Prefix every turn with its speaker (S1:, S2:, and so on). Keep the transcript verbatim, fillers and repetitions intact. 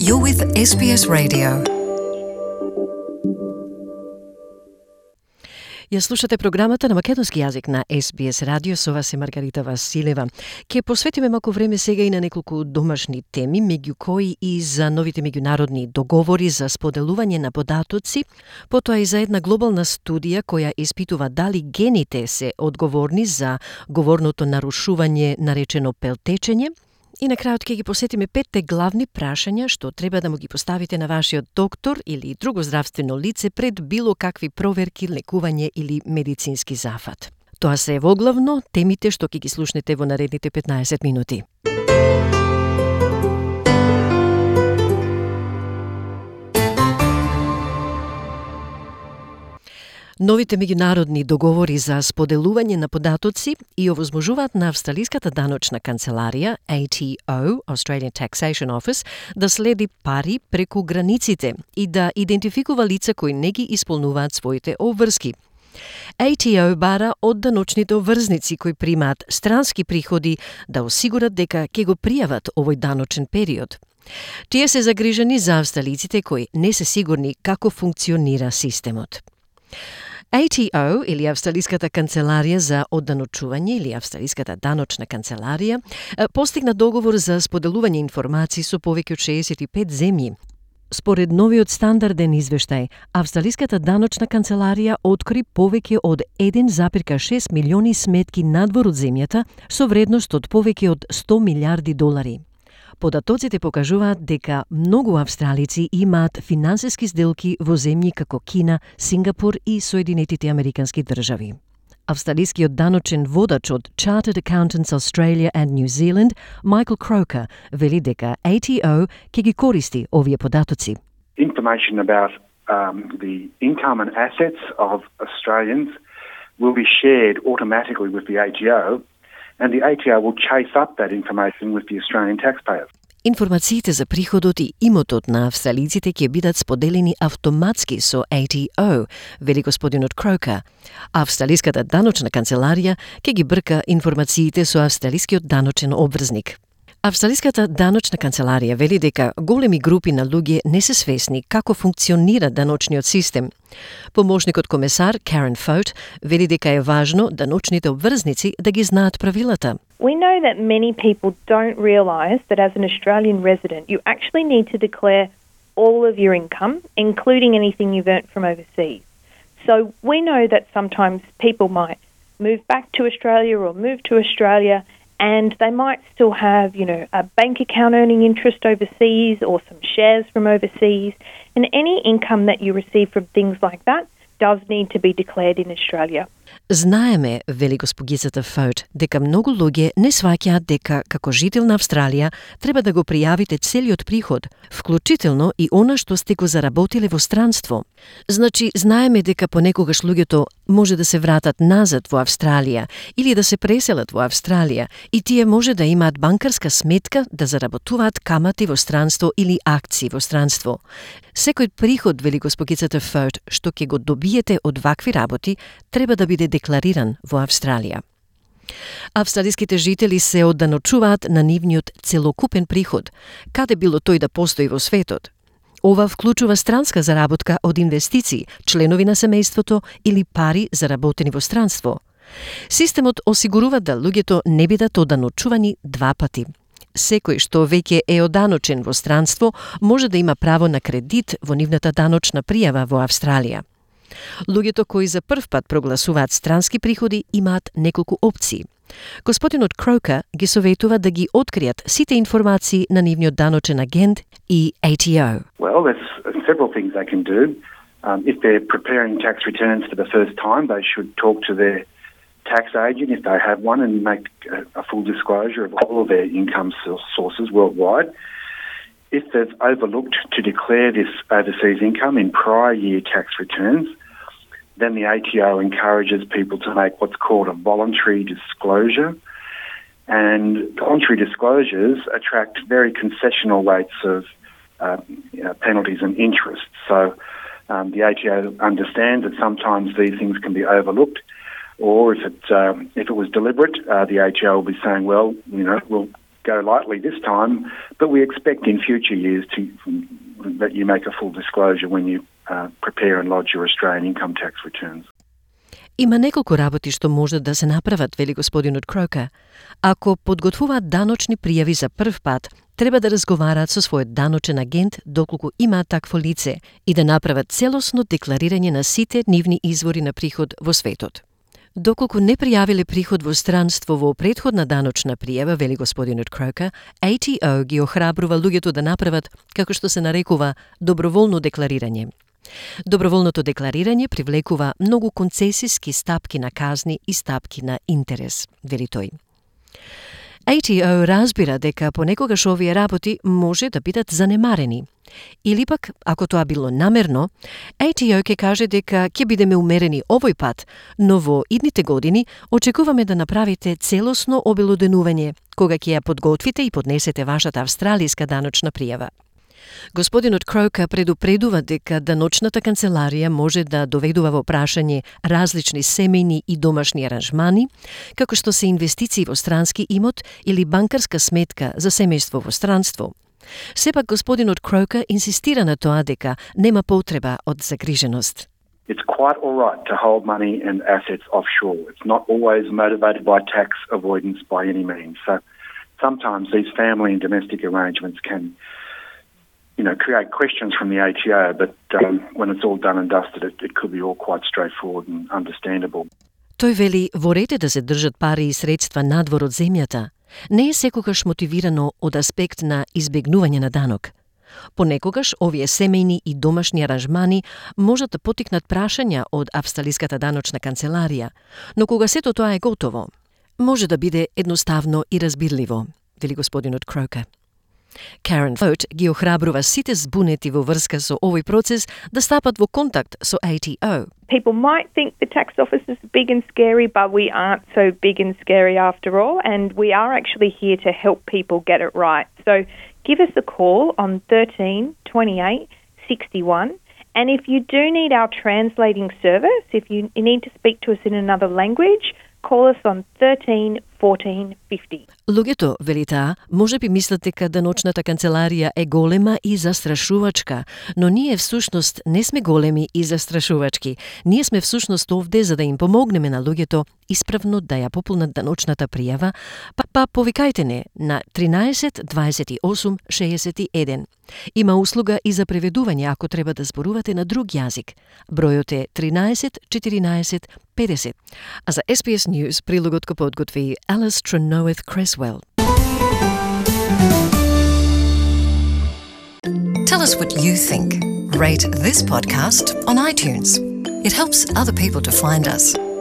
S1: You're with S B S Radio. Ја слушате програмата на македонски јазик на С Б С радио, со вас е Маргарита Василева. Ке посветиме малку време сега и на неколку домашни теми, меѓу кои и за новите меѓународни договори за споделување на податоци, потоа и за една глобална студија која испитува дали гените се одговорни за говорното нарушување наречено пелтечење. И на крајот ќе ги посетиме петте главни прашања што треба да му ги поставите на вашиот доктор или друго здравствено лице пред било какви проверки, лекување или медицински зафат. Тоа се е воглавно темите што ќе ги слушнете во наредните петнаесет минути. Новите меѓународни договори за споделување на податоци и овозможуваат на Австралиската даночна канцеларија А T O, Australian Taxation Office, да следи пари преку границите и да идентификува лица кои не ги исполнуваат своите обврски. А T O бара од даночните обврзници кои примаат странски приходи да осигурат дека ќе го пријават овој даночен период. Тие се загрижени за австралиците кои не се сигурни како функционира системот. А T O, или Австралиската канцеларија за одданочување, или Австралиската даночна канцеларија, постигна договор за споделување информации со повеќе од шеесет и пет земји. Според новиот стандарден извештај, Австралиската даночна канцеларија откри повеќе од еден запирка шест милиони сметки надвор од земјата со вредност од повеќе од сто милиарди долари. Податоците покажуваат дека многу австралици имаат финансиски сделки во земји како Кина, Сингапур и Соединетите Американски држави. Австралискиот даночен водач од Chartered Accountants Australia and New Zealand, Michael Croker, вели дека А T O ќе ги користи овие податоци.
S2: Information about um, the income and assets of Australians will be shared automatically with the A T O, and the A T O will chase up that information with the Australian taxpayers.
S1: Информациите за приходот и имотот на австралиците ќе бидат споделени автоматски со А T O, вели господинот Крока. Австралиската даночна канцеларија ќе ги брка информациите со австралискиот даночен обврзник. Австралиската даночна канцеларија вели дека големи групи на луѓе не се свесни како функционира даночниот систем. Помошникот комесар Karen Fote вели дека е важно даночните обврзници да ги знаат правилата.
S3: We know that many people don't realise that as an Australian resident you actually need to declare all of your income, including anything you've earned from overseas. So we know that sometimes people might move back to Australia or move to Australia and they might still have, you know, a bank account earning interest overseas or some shares from overseas. And any income that you receive from things like that does need to be declared in Australia.
S1: Знаеме, вели госпогицата Фоут, дека многу луѓе не сваќаат дека како жител на Австралија треба да го пријавите целиот приход, вклучително и она што сте го заработиле во странство. Значи, знаеме дека понекогаш луѓето може да се вратат назад во Австралија или да се преселат во Австралија и тие може да имаат банкарска сметка да заработуваат камати во странство или акции во странство. Секој приход, вели госпогицата Фоут, што ќе го добиете од вакви работи, треба да биде деклариран во Австралија. Австралиските жители се одданочуваат на нивниот целокупен приход, каде било тој да постои во светот. Ова вклучува странска заработка од инвестиции, членови на семејството или пари заработени во странство. Системот осигурува да луѓето не бидат одданочувани два пати. Секој што веќе е оданочен во странство може да има право на кредит во нивната даночна пријава во Австралија. Луѓето кои за прв пат прогласуваат странски приходи имаат неколку опции. Господинот Крока ги советува да ги откријат сите информации на нивниот даночен агент и А T O.
S2: Well, there's several things they can do. Um, if they're preparing tax returns for the first time, they should talk to their tax agent if they have one and make a, a full disclosure of all of their income sources worldwide. If they've overlooked to declare this overseas income in prior year tax returns, then the A T O encourages people to make what's called a voluntary disclosure. And voluntary disclosures attract very concessional rates of uh, you know, penalties and interest. So um, the A T O understands that sometimes these things can be overlooked, or if it, um, if it was deliberate, uh, the A T O will be saying, well, you know, we'll go lightly this time, but we expect in future years to that you make a full disclosure when you uh, prepare and lodge your Australian income tax returns.
S1: Има неколку работи што може да се направат, вели господинот Кроука. Ако подготвуваат даночни пријави за прв пат, треба да разговараат со својот даночен агент доколку имаат такво лице и да направат целосно декларирање на сите нивни извори на приход во светот. Доколку не пријавиле приход во странство во претходна даночна пријава, вели господинот Кроука, A T O ги охрабрува луѓето да направат, како што се нарекува, доброволно декларирање. Доброволното декларирање привлекува многу концесиски стапки на казни и стапки на интерес, вели тој. A T O разбира дека понекогаш овие работи може да бидат занемарени. Или пак, ако тоа било намерно, A T O ќе каже дека ќе бидеме умерени овој пат, но во идните години очекуваме да направите целосно обелоденување, кога ќе ја подготвите и поднесете вашата австралиска даночна пријава. Господинот Кроука предупредува дека даночната канцеларија може да доведува во прашање различни семејни и домашни аранжмани, како што се инвестиции во странски имот или банкарска сметка за семејство во странство. Сепак господинот Кроука инсистира на тоа дека нема потреба од загриженост.
S2: It's quite all right to hold money and assets offshore. It's not always motivated by tax avoidance by any means. So sometimes these family and domestic arrangements can you know, create questions from the A T O, but um, when it's all done and dusted, it, it could be all quite straightforward and understandable.
S1: Тој вели, во ред е да се држат пари и средства надвор од земјата. Не е секогаш мотивирано од аспект на избегнување на данок. Понекогаш, овие семејни и домашни аранжмани можат да потикнат прашања од австралиската даночна канцеларија, но кога сето тоа е готово, може да биде едноставно и разбирливо, вели господинот Кроука. Karen Fote ги охрабрува сите збунети во врска со овој процес да стапат во контакт со A T O.
S3: People might think the tax office is big and scary, but we aren't so big and scary after all, and we are actually here to help people get it right. So give us a call on thirteen twenty-eight sixty-one, and if you do need our translating service, if you need to speak to us in another language, call us on thirteen fourteen fifty.
S1: Луѓето, вели таа, може би мислат дека даночната канцеларија е голема и застрашувачка, но ние всушност не сме големи и застрашувачки. Ние сме всушност овде за да им помогнеме на луѓето исправно да ја пополнат даночната пријава, па, па повикајте не на тринаесет дваесет и осум шеесет и еден. Има услуга и за преведување ако треба да зборувате на друг јазик. Бројот е тринаесет четиринаесет педесет. А за S B S News прилогот го подготви Alice Trenoeth Cresswell.
S4: Tell us what you think. Rate this podcast on iTunes. It helps other people to find us.